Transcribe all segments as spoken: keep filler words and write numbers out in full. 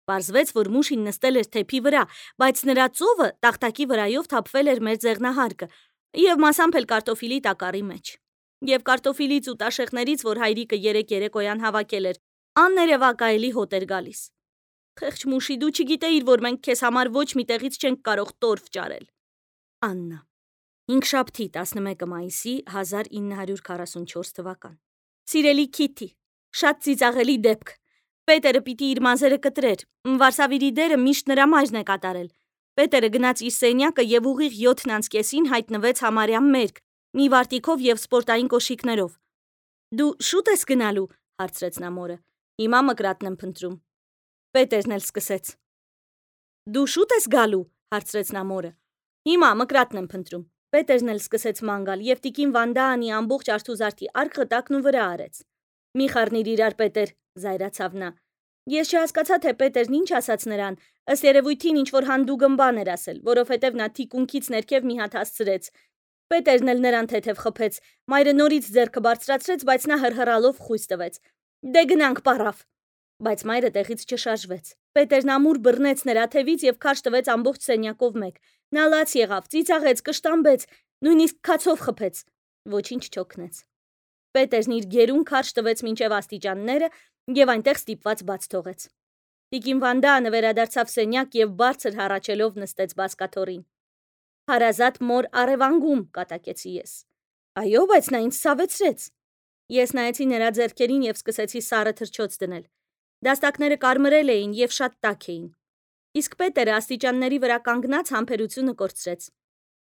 Պարզվեց, որ Մուշին նստել էր թեփի վրա, բայց նրա ծովը տախտակի վրայով թափվել էր մեր ձեղնահարկը և մասամբ էլ կարտոֆիլի տակառի մեջ։ Եվ կարտոֆիլից ու տաշեղներից, որ հայրիկը երեկ երեկոյան հավաքել էր, աններևակայելի հոտ էր գալիս։ Խեղճ Մուշի, դու չգիտեիր, որ մենք քեզ համար ոչ մի տեղից չենք կարող տորֆ ճարել։ Աննա։ Հինգշաբթի տասնմեկը մայիսի հազար ինը հարյուր քառասունչորս թվական։ Սիրելի Քիթի, շատ ծիծաղելի դեպք։ Պետերը պիտի իր մազերը կտրեր, Վարսավիրի դերը միշտ նրա մայրն է կատարել։ Պետերը գնաց իր սենյակը և ուղիղ յոթն անց կեսին հայտնվեց համարյա մերկ, մի վարտիքով և սպորտային կոշիկներով։ Դու շուտ ես գնալու, հարցրեց նա մորը։ Հիմա մկրատն եմ փնտրում։ Պետերն էլ սկսեց։ Դու շուտ ես գալու, հարցրեց նա մորը։ Հիմա մկրատն եմ փնտրում։ Պետերն էլ սկսեց ման գալ, և տիկին Վանդաանի ամբողջ արթուզարդի արկղը տակն ու վրա արեց։ Մի խառնիր իրար, Պետեր, զայրացավ նա։ Ես չհասկացա, թե Պետերն ինչ ասաց նրան, ըստ երևույթին ինչ-որ հանդուգն բան էր ասել, որովհետև նա թիկունքից ներքև մի հատ հասցրեց։ Պետերն էլ նրան թեթև խփեց, մայրը նորից ձեռքը բարձրացրեց, բայց նա հրհրալով խույս տվեց։ Դե գնանք, պառավ։ Բայց մայրը տեղից չշարժվեց։ Պետերն ամուր բռնեց նրա թևից և քարշ տվեց ամբողջ սենյակով մեկ։ Նա լաց եղավ, ծիծաղեց, կշտամբեց, նույնիսկ քացով խփեց։ Ոչինչ չօգնեց։ Պետերն իր գերուն քարշ տվեց մինչև աստիճանները և այնտեղ ստիպված բաց թողեց։ Տիկին Վանդաանը վերադարձավ սենյակ և բարձր հառաչելով նստեց բազկաթոռին։ Հարազատ մոր առևանգում, կատակեցի ես։ Այո, բայց նա ինձ ցավեցրեց։ Ես նայեցի նրա ձեռքերին և սկսեցի սառը թռչոց դնել։ Դաստակները կարմրել էին և շատ տաք էին։ Իսկ Պետերը աստիճանների վրա կանգնած համբերությունը կորցրեց։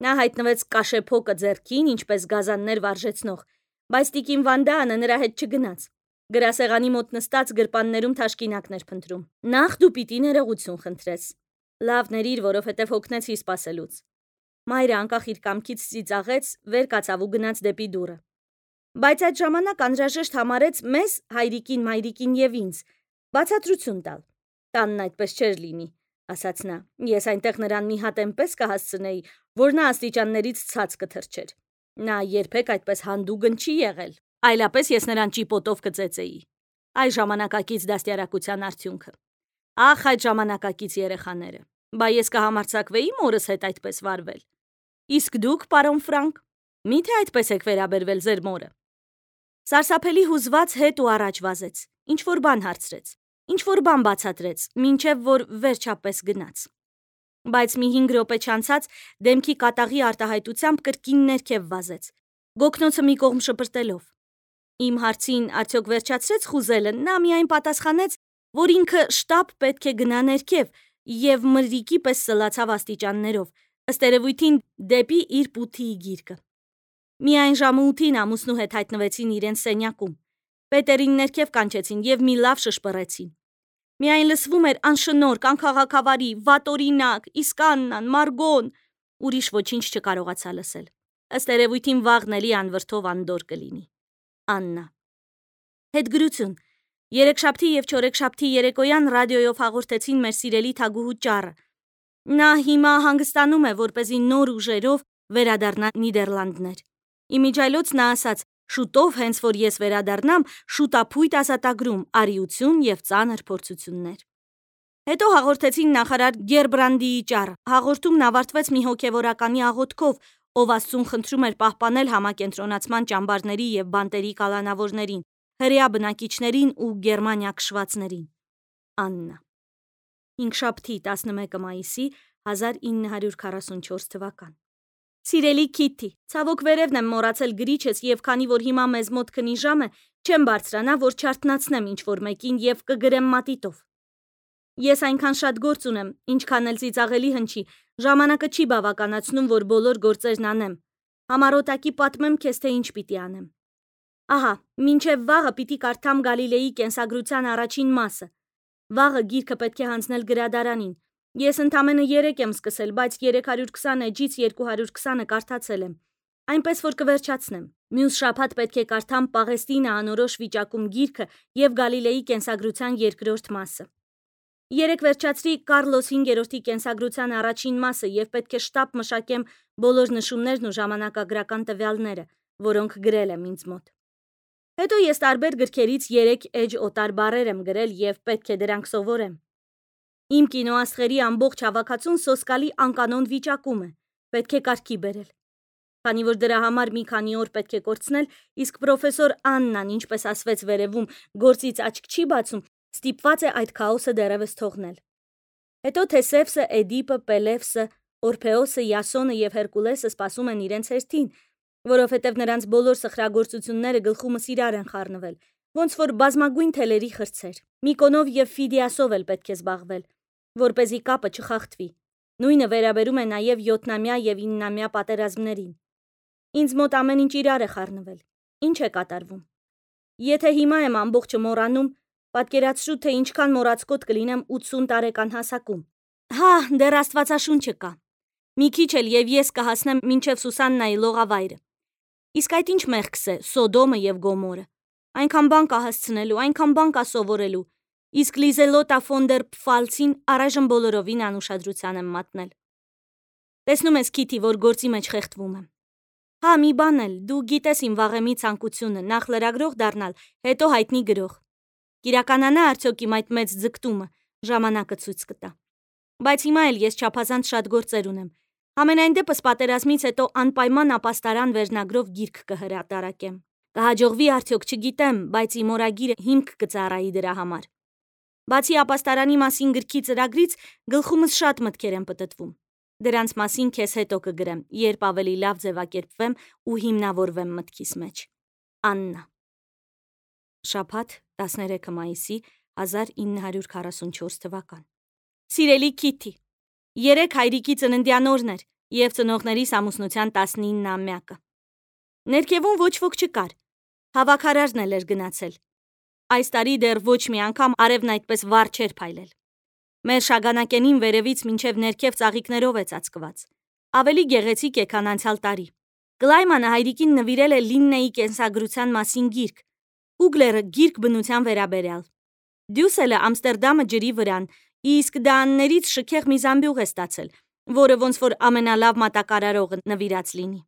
Նա հայտնվեց կաշեփոկը ձեռքին, ինչպես գազաններ վարժեցնող, բայց տիկին Վանդաանը նրա հետ չգնաց։ Գրասեղանի մոտ նստած գրպաններում թաշկինակներ փնտրում։ Նախ դու պիտի ներողություն խնդրես։ Լավ ներիր, որովհետև հոգնեցի սպասելուց։ Մայրը անկախ իր կամքից ծիծաղեց, վեր կացավ ու գնաց դեպի դուռը։ Բայց այդ ժամանակ անհրաժեշտ համարեց մեզ, հայրիկին, մայրիկին և ինձ, բացատրություն տալ։ Տանն այդպես չէր լինի, ասաց նա։ Ես այնտեղ նրան մի հատ էնպես կհասցնեի, որ նա աստիճաններից ցած կթռչեր։ Նա երբեք այդպես հանդուգն չի եղել, այլապես ես նրան ճիպոտով կծեծեի։ Այ ժամանակակից դաստիարակության արդյունքը։ Ախ, այդ ժամանակակից երեխաները։ Բա ես կհամարձակվեի մորս հետ այդպես վարվել։ Իսկ դուք, պարոն Ֆրանկ, մի՞թե այդպես եք վերաբերվել ձեր մորը։ Սարսափելի հուզված հետ ու առաջ վազեց, ինչ-որ բան հարցրեց, ինչ-որ բան բացատրեց, մինչև որ վերջապես գնաց։ Բայց մի հինգ րոպե չանցած դեմքի կատաղի արտահայտությամբ կրկին ներքև վազեց, գոգնոցը մի կողմ շպրտելով։ Իմ հարցին արդյոք վերջացրեց խուզելը, նա միայն պատասխանեց, որ ինքը շտապ պետք է գնա ներքև և մրրիկի պես սլացավ աստիճաններով, ըստ երևույթին դեպի իր պութիի գիրկը։ Միայն ժամը ութին ամուսնու հետ հայտնվեցին իրենց սենյակում։ Պետերին ներքև կանչեցին և մի լավ շշպռեցին։ Միայն լսվում էր անշնորհք, անքաղաքավարի, վատօրինակ, իսկ Աննան, Մարգոն, ուրիշ ոչինչ չկարողացա լսել։ Ըստ երևույթին վաղն էլի անվրդով անդորր կլինի։ Աննա։ Հետգրություն։ Երեքշաբթի և չորեքշաբթի երեկոյան ռադիոյով հաղորդեցին մեր սիրելի թագուհու ճառը։ Նա հիմա հանգստանում է, որպեսզի նոր ուժերով վերադառնա Նիդերլանդներ։ Իմիջիայլոց նա ասաց. շուտով, հենց որ ես վերադառնամ, շուտափույթ ազատագրում, արիություն և ծանր փորձություններ։ Հետո հաղորդեցին նախարար Գերբրանդիի ճառը։ Հաղորդումն ավարտվեց մի հոգևորականի աղոթքով, ով Աստծուն խնդրում էր պահպանել համակենտրոնացման ճամբարների և բանտերի կալանավորներին, հրեա բնակիչներին ու Գերմանիա քշվածներին։ Աննա։ Հինգշաբթի տասնմեկը մայիսի հազար ինը հարյուր քառասունչորս թվական։ Սիրելի Քիթի, ցավոք վերևն եմ մոռացել գրիչս և քանի որ հիմա մեզ մոտ քնի ժամ է, չեմ բարձրանա, որ չարթնացնեմ ինչ-որ մեկին և կգրեմ մատիտով։ Ես այնքան շատ գործ ունեմ, ինչքան էլ ծիծաղելի հնչի, ժամանակը չի բավականացնում, որ բոլոր գործերն անեմ։ Համառոտակի պատմեմ քեզ, թե ինչ պիտի անեմ։ Ահա, մինչև վաղը պիտի կարդամ Գալիլեի կենսագրության առաջին մասը։ Վաղը գիրքը պետք է հանձնել գրադարանին։ Ես ընդամենը երեք եմ սկսել, բայց երեք հարյուր քսան էջից երկու հարյուր քսանը կարդացել եմ, այնպես որ կվերջացնեմ։ Մյուս շաբաթ պետք է կարդամ Պաղեստինը անորոշ վիճակում գիրքը և Գալիլեի կենսագրության երկրորդ մասը։ Երեկ վերջացրի Կարլոս հինգերորդի կենսագրության առաջին մասը և պետք է շտապ մշակեմ բոլոր նշումներն ու ժամանակագրական տվյալները, որոնք գրել եմ ինձ մոտ։ Հետո ես տարբեր գրքերից երեք էջ օտար բառեր եմ գրել և պետք է դրանք սովորեմ։ Իմ կինոաստղերի ամբողջ հավաքածուն սոսկալի անկանոն վիճակում է, պետք է կարգի բերել։ Քանի որ դրա համար մի քանի օր պետք է կորցնել, իսկ պրոֆեսոր Աննան, ինչպես ասվեց վերևում, գործից աչք չի բացում, ստիպված է այդ քաոսը դեռևս թողնել։ Հետո Թեսևսը, Էդիպը, Պելևսը, Օրփեոսը, Յասոնը եւ Հերկուլեսը սպասում են իրենց հերթին, որովհետեւ նրանց բոլոր սխրագործությունները գլխումս իրար են խառնվել, ոնց որ բազմագույն թելերի խրձեր։ Միկոնով եւ Ֆիդիասով էլ պետք է զբաղվել, որպեսզի կապը չխախտվի։ Նույնը վերաբերում է նաեւ յոթնամյա եւ իննամյա պատերազմներին։ Ինձ մոտ ամեն ինչ իրար է խառնվել։ Ինչ է կատարվում։ Եթե հիմա եմ ամբողջը մոռանում, պատկերացրու, թե ինչքան մոռացկոտ կլինեմ ութսուն տարեկան հասակում։ Հա, դեռ Աստվածաշունչը կա։ Մի քիչ էլ եւ ես կհասնեմ մինչեւ Սուսաննայի լողավայրը։ Իսկ այդ ինչ մեղքս է, Սոդոմը եւ Գոմորը։ Այնքան բան կա հասցնելու, այնքան բան կա սովորելու։ Իսկ Լիզելոտա ֆոն դեր Պֆալցին առայժմ բոլորովին անուշադրության եմ մատնել։ Տեսնում ես, Քիթի, որ գործի մեջ խեղդվում եմ։ Հա, մի բան էլ, դու գիտես իմ վաղեմի ցանկությունը, նախ լրագրող դառնալ, հետո հայտնի գրող։ Կիրականանա արդյոք իմ այդ մեծ ձգտումը, ժամանակը ցույց կտա։ Բայց հիմա էլ ես չափազանց շատ գործեր ունեմ։ Համենայն դեպս պատերազմից հետո անպայման ապաստարան վերնագրով գիրք կհրատարակեմ։ Կհաջողվի արդյոք չգիտեմ, բայց իմ օրագիրը հիմք կծառայի դրա համար։ Բացի ապաստարանի մասին գրքի ծրագրից, գլխումս շատ մտքեր են պտտվում։ Դրանց մասին քեզ հետո կգրեմ, երբ ավելի լավ ձևակերպվեմ ու հիմնավորվեմ մտքիս մեջ։ Աննա։ Շաբաթ տասներեքը մայիսի հազար ինը հարյուր քառասունչորս թվական։ Սիրելի Քիթի, երեք հայրիկի ծննդյան օրն էր եւ ծնողներիս ամուսնության տասնիննամյակը։ Ներքևում ոչ ոք չկար։ Հավաքարարն էլ էր գնացել։ Այս տարի դեռ ոչ մի անգամ արևն այդպես վառ չէր փայլել։ Մեր շագանակենին վերևից մինչև ներքև ծաղիկներով է ծածկված։ Ավելի գեղեցիկ է, քան անցյալ տարի։ Կլայմանը հայրիկին նվիրել է Լիննեի կենսագրության մասին գիրք, Հուգլերը գիրք բնության վերաբերյալ։ Դյուսելը Ամստերդամը ջրի վրան, իսկ Դաններից շքեղ մի զամբյուղ է ստացել, որը ոնց որ ամենալավ մատակարարողը նվիրած լինի։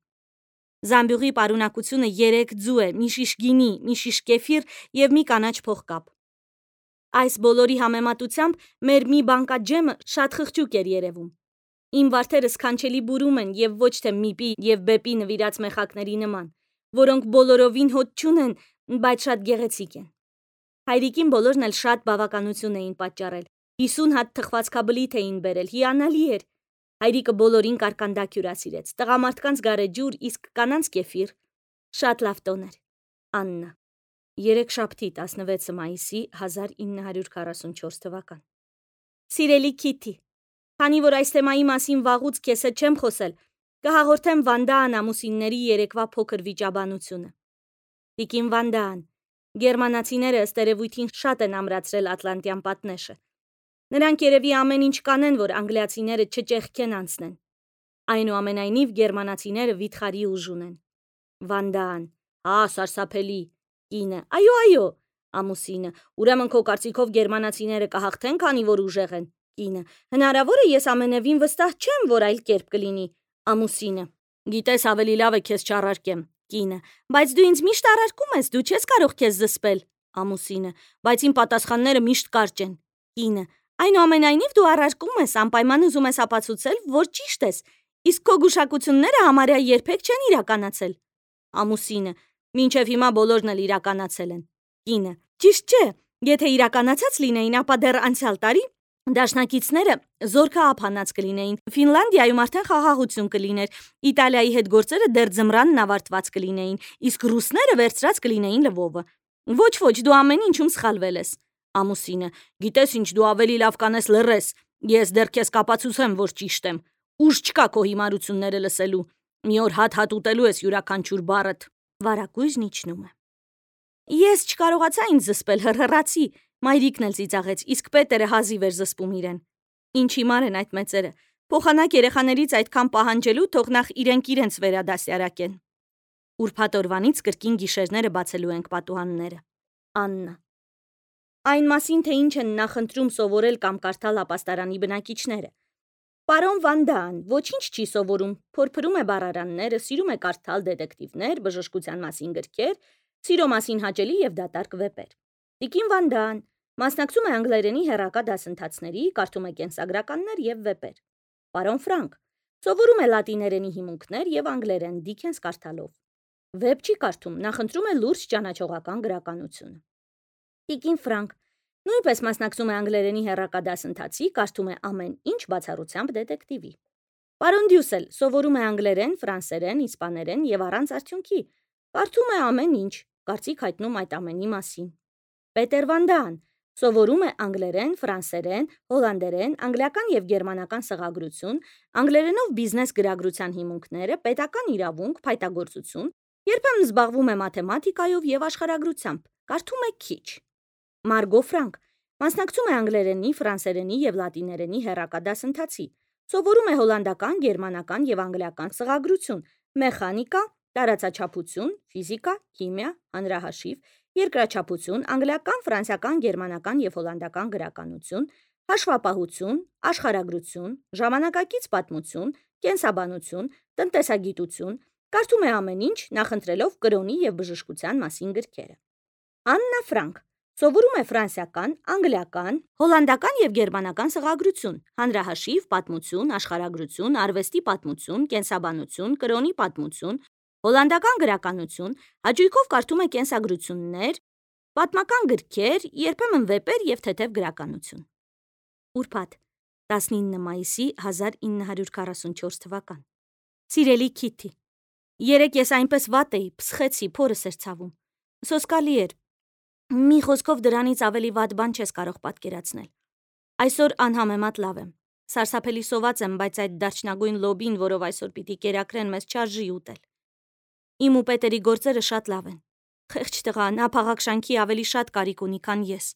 Զամբյուղի պարունակությունը երեք ձու է, մի շիշ գինի, մի շիշ կեֆիր եւ մի կանաչ փողկապ։ Այս բոլորի համեմատությամբ մեր մի բանկա ջեմը շատ խղճուկ էր երևում։ Իմ վարդերը սքանչելի բուրում են եւ ոչ թե միպի եւ բեպի նվիրած մեխակների նման, որոնք բոլորովին հոտ չունեն, բայց շատ գեղեցիկ են։ Հայրիկին բոլորն էլ շատ բավականություն էին պատճառել։ հիսուն հատ թխվածքաբլիթ էին բերել, հիանալի էր։ Հայրիկը բոլորին կարկանդակ հյուրասիրեց, տղամարդկանց գարեջուր, իսկ կանանց կեֆիր։ Շատ լավ տոն էր։ Աննա։ Երեքշաբթի տասնվեցը մայիսի հազար ինը հարյուր քառասունչորս թվական։ Սիրելի Քիթի, քանի որ այս թեմայի մասին վաղուց քեզ հետ չեմ խոսել, կհաղորդեմ Վանդաան ամուսինների երեկվա փոքր վիճաբանությունը։ Տիկին Վանդաան, գերմանացիները ըստ երևույթին շատ են ամրացրել Ատլանտյան պատնեշը։ Նրանք երևի ամեն ինչ կանեն, որ անգլիացիները չճեղքեն անցնեն։ Այնուամենայնիվ գերմանացիները վիթխարի ուժ ունեն։ Վանդաան. Հա, սարսափելի։ Կինը. Այո, այո։ Ամուսինը. Ուրեմն քո կարծիքով գերմանացիները կհաղթեն, քանի որ ուժեղ են։ Կինը. Հնարավոր է, ես ամենևին վստահ չեմ, որ այլ կերպ կլինի։ Ամուսինը. Գիտես, ավելի լավ է քեզ չառարկեմ։ Կինը. Բայց դու ինձ միշտ առարկում ես, դու չես կարող քեզ զսպել։ Ամուսինը. Բայց իմ պատասխանները միշտ կարճ են։ Կինը. Այնուամենայնիվ դու առարկում ես, անպայման ուզում ես ապացուցել, որ ճիշտ ես, իսկ քո գուշակությունները համարյա երբեք չեն իրականացել։ Ամուսինը. Մինչև հիմա բոլորն էլ իրականացել են։ Կինը. Ճիշտ չէ, եթե իրականացած լինեին, ապա դեռ անցյալ տարի դաշնակիցները զորքաապ հանած կլինեին, Ֆինլանդիայում արդեն խաղաղություն կլիներ, Իտալիայի հետ գործերը դեռ ձմրանն ավարտված կլինեին, իսկ ռուսները վերցրած կլինեին Լվովը։ Ոչ, ոչ, դու ամեն ինչում սխալվել ես։ Ամուսինը. Գիտես ինչ, դու ավելի լավ կանես լռես, ես դեռ քեզ կապացուցեմ, որ ճիշտ եմ։ Ուժ չկա քո հիմարությունները լսելու։ Մի օր հատ-հատ ուտելու ես յուրաքանչյուր բառդ։ Վարագույրն իջնում է։ Ես չկարողացա ինձ զսպել, հռհռացի, մայրիկն էլ ծիծաղեց, իսկ Պետերը հազիվ էր զսպում իրեն։ Ինչ հիմար են այդ մեծերը, փոխանակ երեխաներից այդքան պահանջելու, թող նախ իրենք իրենց վերադասյարակեն։ Ուրբաթ օրվանից կրկին գիշերները բացելու ենք պատուհանները։ Աննա։ Այն մասին, թե ինչ են նախընտրում սովորել կամ կարդալ ապաստարանի բնակիչները։ Պարոն Վանդան ոչինչ չի սովորում, փորփրում է բառարանները, սիրում է կարդալ դետեկտիվներ, բժշկության մասին գրքեր, սիրո մասին հաճելի եւ դատարկ վեպեր։ Տիկին Վանդան Մասնակցում է անգլերենի հեռակա դասընթացների, կարդում է կենսագրականներ եւ վեպեր։ Պարոն Ֆրանկ սովորում է լատիներենի հիմունքներ եւ անգլերեն Դիքենս կարդալով։ Վեպ չի կարդում, նախընտրում է լուրջ ճանաչողական գրականությունը։ Տիկին Ֆրանկ նույնպես մասնակցում է անգլերենի հեռակա դասընթացի, կարդում է ամեն ինչ բացառությամբ դետեկտիվի։ Պարոն Դյուսել սովորում է անգլերեն, ֆրանսերեն, իսպաներեն եւ առանց արդյունքի, կարդում է ամեն ինչ, կարծիք հայտնում այդ ամենի մասին։ Պետեր Վան Դան սովորում է անգլերեն, ֆրանսերեն, հոլանդերեն, անգլիական եւ գերմանական սղագրություն, անգլերենով բիզնես գրագրության հիմունքները, պետական իրավունք, փայտագործություն, երբեմն զբաղվում է մաթեմատիկայով եւ աշխարհագրությամբ, կարդում է քիչ։ Մարգո Ֆրանկ մասնակցում է անգլերենի, ֆրանսերենի եւ լատիներենի հեռակա դասընթացի, սովորում է հոլանդական, գերմանական եւ անգլիական սղագրություն, մեխանիկա, տարածաչափություն, ֆիզիկա, քիմիա, հանրահաշիվ, երկրաչափություն, անգլիական, ֆրանսիական, գերմանական եւ հոլանդական գրականություն, հաշվապահություն, աշխարհագրություն, ժամանակակից պատմություն, կենսաբանություն, տնտեսագիտություն, կարդում է ամեն ինչ, նախընտրելով կրոնի եւ բժշկության մասին գրքերը։ Աննա Ֆրանկ սովորում է ֆրանսիական, անգլիական, հոլանդական եւ գերմանական սղագրություն, հանրահաշիվ, պատմություն, աշխարհագրություն, արվեստի պատմություն, կենսաբանություն, կրոնի պատմություն, հոլանդական գրականություն, հաճույքով կարդում է կենսագրություններ, պատմական գրքեր, երբեմն վեպեր եւ թեթև գրականություն։ Ուրբաթ տասնինը մայիսի հազար ինը հարյուր քառասունչորս թվական։ Սիրելի Քիթի, երեկ ես այնպես վատ էի, փսխեցի, փորս էր ցավում։ Սոսկալի էր։ Մի խոսքով դրանից ավելի վատ բան չես կարող պատկերացնել։ Այսօր անհամեմատ լավ եմ։ Սարսափելի սոված եմ, բայց այդ դարչնագույն լոբին, որով այսօր պիտի կերակրեն, մեզ չարժի ուտել։ Իմ ու Պետերի գործերը շատ լավ են։ Խեղճ տղա, նա փաղաքշանքի ավելի շատ կարիք ունի, քան ես։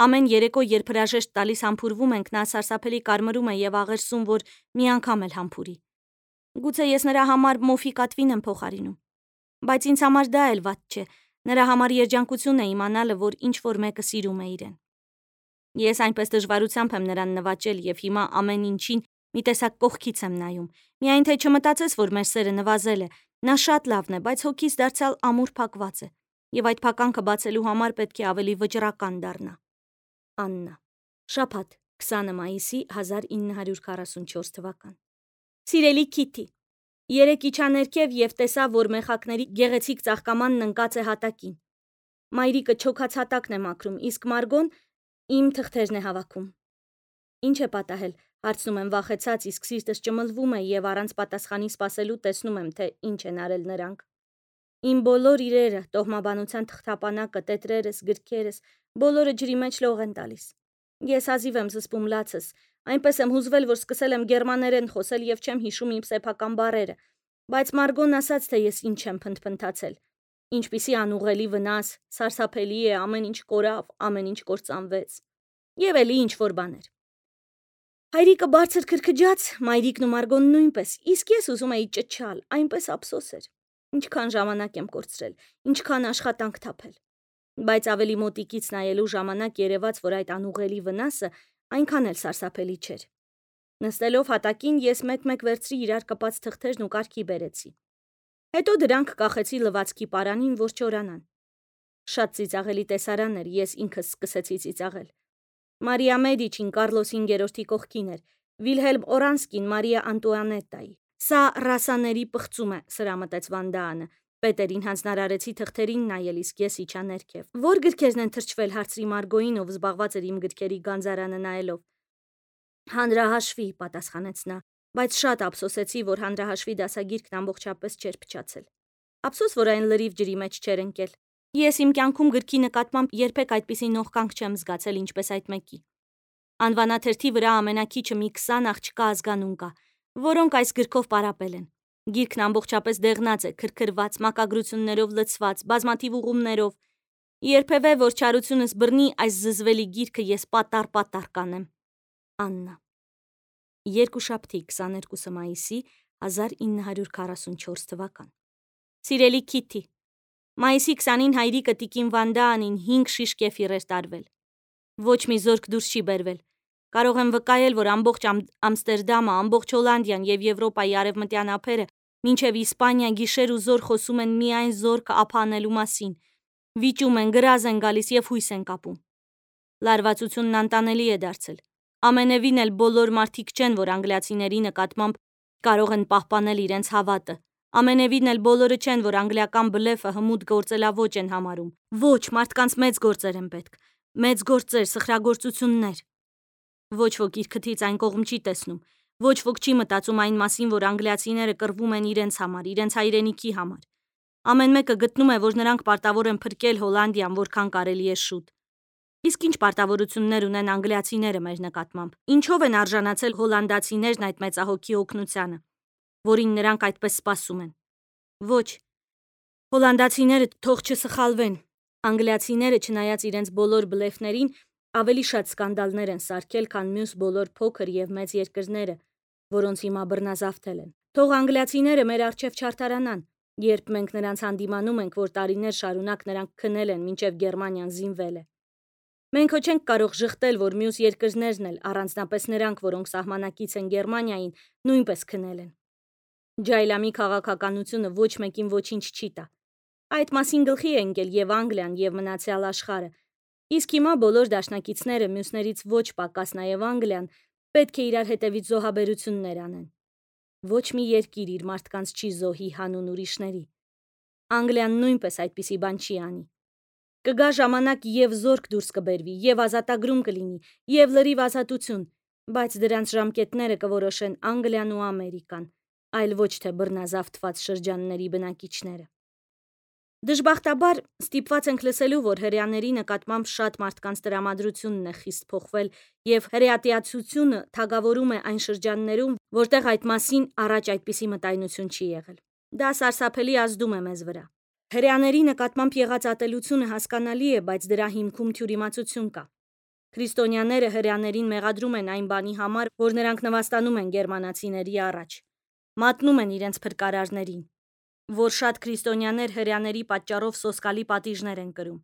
Ամեն երեկո, երբ հրաժեշտ տալիս համբուրվում ենք, նա սարսափելի կարմրում է եւ աղերսում, որ մի անգամ էլ համբուրի։ Գուցե ես նրա համար մոֆի կատվին եմ փոխարինում։ Բայց ինձ համար դա էլ վատ չէ։ Նրա համար երջանկություն է իմանալը, որ ինչ որ մեկը սիրում է իրեն։ Ես այնպես դժվարությամբ եմ նրան նվաճել եւ հիմա ամեն ինչին մի տեսակ կողքից եմ նայում։ Միայն թե չմտածես, որ մեր սերը նվազել է։ Նա շատ լավն է, բայց հոգիս դարձյալ ամուր փակված է։ Եվ այդ փականքը բացելու համար պետք է ավելի վճռական դառնա։ Աննա շաբաթ քսանը մայիսի հազար ինը հարյուր քառասունչորս թվական։ Սիրելի Քիթի, երեկ իջա ներքև եւ տեսա, որ մեխակների գեղեցիկ ծաղկամանն ընկած է հատակին։ Մայրիկը չոքած հատակն է մաքրում, իսկ Մարգոն իմ թղթերն է հավաքում։ Ինչ է պատահել, հարցնում եմ վախեցած, իսկ սիրտս ճմլվում է եւ առանց պատասխանի սպասելու տեսնում եմ, թե ինչ են արել նրանք։ Իմ բոլոր իրերը, տոհմաբանության թղթապանակը, տետրերս, գրքերս, բոլորը ջրի մեջ լող են տալիս։ Ես հազիվ եմ զսպում լացս, այնպես եմ հուզվել, որ սկսել եմ գերմաներեն խոսել եւ չեմ հիշում իմ սեփական բառերը, բայց Մարգոն ասաց, թե ես ինչ եմ փնթփնթացել։ Ինչպիսի անուղելի վնաս, սարսափելի է, ամեն ինչ կորավ, ամեն ինչ կործանվեց։ Եվ էլի ինչ որ բաներ։ Հայրիկը բարձր քրքջաց, մայրիկն ու Մարգոն նույնպես, իսկ ես ուզում էի ճչալ, այնպես ափսոս էր։ Ինչքան ժամանակ եմ կորցրել, ինչքան աշխատանք թափել։ Բայց ավելի մոտիկից նայելու ժամանակ երևաց, որ այդ անուղելի վնասը այնքան էլ սարսափելի չէր։ Նստելով հատակին ես մեկ-մեկ վերցրի իրար կպած թղթերն ու կարգի բերեցի։ Հետո դրանք կախեցի լվացքի պարանին, որ չորանան։ Շատ ծիծաղելի տեսարան էր, ես ինքս սկսեցի ծիծաղել։ Մարիա Մեդիչին Կարլոս հինգերորդի կողքին էր, Վիլհելմ Օրանսկին Մարիա Անտուանետտայի։ Սա ռասաների պղծում է, սրամտեց Վան Դանը։ Պետերին հանձնարարեցի թղթերին նայել, իսկ ես իջա ներքև։ Որ գրքերն են թրջվել, հարցրի Մարգոին, ով զբաղված էր իմ գրքերի գանձարանը նայելով։ Հանրահաշվի, պատասխանեց նա, բայց շատ ափսոսեցի, որ հանրահաշվի դասագիրքն ամբողջապես չէր փչացել։ Ափսոս, որ այն լրիվ ջրի մեջ չէր ընկել։ Ես իմ կյանքում գրքի նկատմամբ երբեք այդպիսի նողկանք չեմ զգացել, ինչպես այդ մեկի։ Անվանաթերթի վրա ամենակիչը մի քսան աղջկա ազգանուն կա, որոնք այս գրքով պարապել են։ Գիրքն ամբողջապես դեղնած է, քրքրված, մակագրություններով լցված, բազմաթիվ ուղումներով։ Երբևէ որ չարությունս բռնի այս զզվելի գիրքը, ես պատառ-պատառ կանեմ։ Աննա Երկուշաբթի քսաներկուսը մայիսի հազար ինը հարյուր քառասունչորս թվական։ Սիրելի Քիթի, մայիսի քսանին հայրիկը տիկին Վան Դանին հինգ շիշ կեֆիր էր տարվել։ Ոչ մի զորք դուրս չի բերվել։ Կարող եմ վկայել, որ ամբողջ Ամստերդամը, ամբողջ Հոլանդիան եւ Եվրոպայի արևմտյան ափերը, մինչեւ Իսպանիա գիշեր ու զոր խոսում են միայն զորքը ափ անելու մասին։ Վիճում են, գրազ են գալիս եւ հույս են կապում։ Լարվածությունն անտանելի է դարձել։ Ամենևին էլ բոլոր մարդիկ չեն, որ անգլիացիների նկատմամբ կարող են պահպանել իրենց հավատը։ Ամենևին էլ բոլորը չեն, որ անգլիական բլեֆը հմուտ գործելաոճ են համարում։ Ոչ, մարդկանց մեծ գործեր են պետք։ Մեծ գործեր, սխրագործություններ։ Ոչ ոք իր քթից այն կողմ չի տեսնում։ Ոչ ոք չի մտածում այն մասին, որ անգլիացիները կռվում են իրենց համար, իրենց հայրենիքի համար։ Ամեն մեկը գտնում է, որ նրանք պարտավոր են փրկել Հոլանդիան, որքան կարելի է շուտ։ Իսկ ինչ պարտավորություններ ունեն անգլիացիները մեր նկատմամբ։ Ինչով են արժանացել հոլանդացիներն այդ մեծահոգի օգնությանը, որին նրանք այդպես սպասում են։ Ոչ, հոլանդացիները թող չսխալվեն։ Անգլիացիները, չնայած իրենց բոլոր բլեֆներին, ավելի շատ սկանդալներ են սարքել, քան մյուս բոլոր փոքր եւ մեծ երկրները, որոնց հիմա բռնազավթել են։ Թող անգլիացիները մեր առջև չարթարանան, երբ մենք նրանց հանդիմանում ենք, որ տարիներ շարունակ նրանք քնել են, մինչև Գերմանիան զինվել է։ Մենք հո չենք կարող ժխտել, որ մյուս երկրներն էլ, առանձնապես նրանք, որոնք սահմանակից են Գերմանիային, նույնպես քնել են։ Ջայլամի քաղաքականությունը ոչ մեկին ոչինչ չի տա։ Այդ մասին գլխի է ընկել եւ Անգլիան, եւ մնացյալ աշխարհը։ Իսկ հիմա բոլոր դաշնակիցները, մյուսներից ոչ պակաս նաեւ Անգլիան, պետք է իրար հետևից զոհաբերություններ անեն։ Ոչ մի երկիր իր մարդկանց չի զոհի հանուն ուրիշների։ Անգլիան նույնպես այդպիսի բան չի անի։ Կգա ժամանակ եւ զորք դուրս կբերվի, եւ ազատագրում կլինի, եւ լրիվ ազատություն, բայց դրանց ժամկետները կորոշեն Անգլիան ու Ամերիկան, այլ ոչ թե բռնազավթված շրջանների բնակիչները։ Դժբախտաբար ստիպված ենք լսելու, որ հրեաների նկատմամբ շատ մարդկանց տրամադրությունն է խիստ փոխվել, եւ հրեատիացությունը թագավորում է այն շրջաններում, որտեղ այդ մասին առաջ այդպիսի մտայնություն չի եղել։ Դա սարսափելի ազդում է մեզ վրա։ Հրեաների նկատմամբ եղած ատելությունը հասկանալի է, բայց դրա հիմքում թյուրիմացություն կա։ Քրիստոնյաները հրեաներին մեղադրում են այն բանի համար, որ նրանք նվաստանում են գերմանացիների առաջ, մատնում են իրենց փրկարարներին, որ շատ քրիստոնյաներ հրեաների պատճառով սոսկալի պատիժներ են կրում։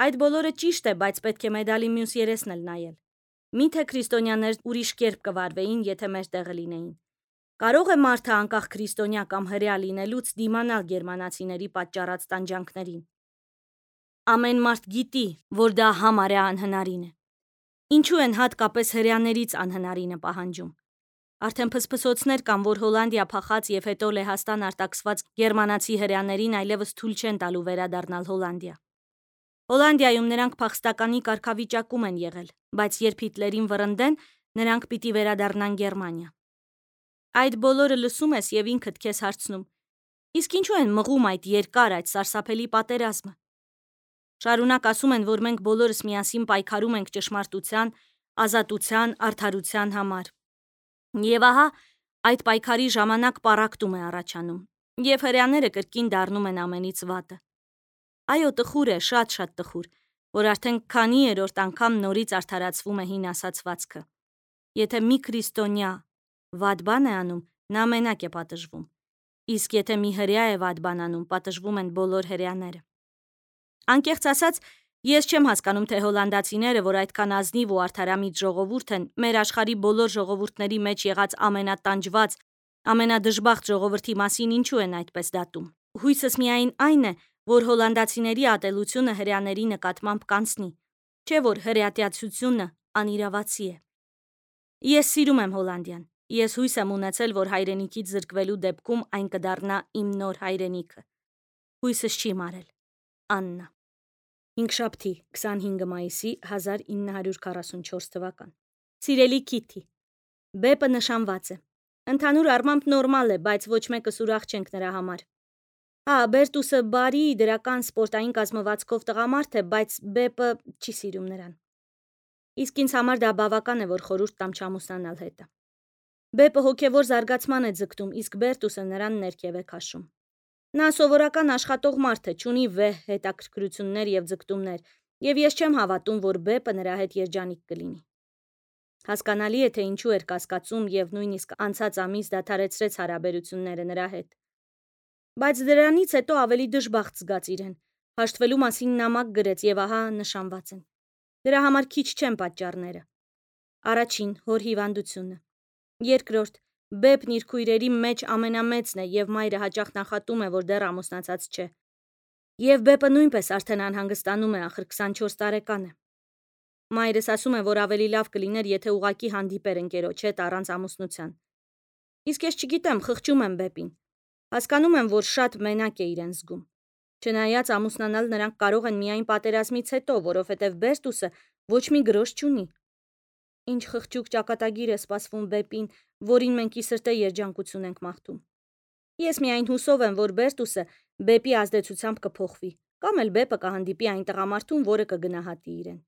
Այդ բոլորը ճիշտ է, բայց պետք է մեդալի մյուս երեսն էլ նայել։ Միթե քրիստոնյաներ ուրիշ կերպ կվարվեին, եթե մեր տեղը լինեին։ Կարող է մարդը անկախ քրիստոնյա կամ հրեա լինելուց դիմանալ գերմանացիների պատճառած տանջանքներին։ Ամեն մարդ գիտի, որ դա համարյա անհնարին է։ Ինչու են հատկապես հրեաներից անհնարինը պահանջում։ Արդեն փսփսոցներ կան, որ Հոլանդիա փախած եւ հետո Լեհաստան արտաքսված գերմանացի հրեաներին այլևս թույլ չեն տալու վերադառնալ Հոլանդիա։ Հոլանդիայում նրանք փախստականի կարգավիճակում են եղել, բայց երբ Հիտլերին վռնդեն, նրանք պիտի վերադառնան Գերմանիա։ Այդ բոլորը լսում ես եւ ինքդ քեզ հարցնում. իսկ ինչու են մղում այդ երկար, այդ սարսափելի պատերազմը։ Շարունակ ասում են, որ մենք բոլորս միասին պայքարում ենք ճշմարտության, ազատության, արդարության համար։ Եվ ահա այդ պայքարի ժամանակ պառակտում է առաջանում, եւ հրեաները կրկին դառնում են ամենից վատը։ Այո, տխուր է, շատ-շատ տխուր, որ արդեն քանի երրորդ անգամ նորից արդարացվում է հին ասացվածքը։ Եթե մի քրիստոնյա վատ բան է անում, նա մենակ է պատժվում։ Իսկ եթե մի հրեա է վատ բան անում, պատժվում են բոլոր հրեաները։ Անկեղծ ասած, ես չեմ հասկանում, թե հոլանդացիները, որ այդքան ազնիվ ու արդարամիտ ժողովուրդ են, մեր աշխարհի բոլոր ժողովուրդների մեջ եղած ամենատանջված, ամենադժբախտ ժողովրդի մասին ինչու են այդպես դատում։ Հույսս միայն այն է, որ հոլանդացիների ատելությունը հրեաների նկատմամբ կանցնի, չէ որ հրեատյացությունը անիրավացի է։ Ես սիրում եմ Հոլանդիան։ Ես հույս եմ ունեցել, որ հայրենիքից զրկվելու դեպքում այն կդառնա իմ նոր հայրենիքը։ Հույսս չի մարել։ Աննա։ Հինգշաբթի, քսանհինգ մայիսի հազար ինը հարյուր քառասունչորս թվական։ Սիրելի Քիթի, Բեպը նշանված է։ Ընդհանուր առմամբ նորմալ է, բայց ոչ մեկս ուրախ չենք նրա համար։ Հա, Բերտուսը բարի, դրական, սպորտային կազմվածքով տղամարդ է, բայց Բեպը չի սիրում նրան։ Իսկ ինձ համար դա բավական է, որ խորհուրդ տամ չամուսնանալ հետը։ Բեպը հոգևոր զարգացման է ձգտում, իսկ Բերտուսը նրան ներքև է քաշում։ Նա սովորական աշխատող մարդ է, չունի վեհ հետաքրքրություններ եւ ձգտումներ, եւ ես չեմ հավատում, որ Բեպը նրա հետ երջանիկ կլինի։ Հասկանալի է, թե ինչու էր կասկածում եւ նույնիսկ անցած ամիս դադարեցրեց հարաբերությունները նրա հետ։ Բայց դրանից հետո ավելի դժբախտ զգաց իրեն։ Հաշտվելու մասին նամակ գրեց եւ ահա նշանված են։ Դրա համար քիչ չեն պատճառները։ Առաջին՝ հոր հիվանդությունը։ Երկրորդ՝ Բեպն իր քույրերի մեջ ամենամեծն է եւ մայրը հաճախ նախատում է, որ դեռ ամուսնացած չէ։ Եվ Բեպը նույնպես արդեն անհանգստանում է, ախր քսանչորս տարեկան է։ Մայրս ասում է, որ ավելի լավ կլիներ, եթե ուղակի հանդիպեր ընկերոջ հետ առանց ամուսնության։ Իսկ ես չգիտեմ, խղճում եմ Բեպին։ Հասկանում եմ, որ շատ մենակ է իրեն զգում։ Չնայած ամուսնանալ նրանք կարող են միայն պատերազմից հետո, որովհետև Բերտուսը ոչ մի գրոշ չունի։ Ինչ խղճուկ ճակատագիր է սպասվում Բեպին, որին մենք ի սրտե երջանկություն ենք մաղթում։ Ես միայն հուսով եմ, որ Բերտուսը Բեպի ազդեցությամբ կփոխվի, կամ էլ Բեպը կհանդիպի այն տղամարդուն, որը կգնահատի իրեն։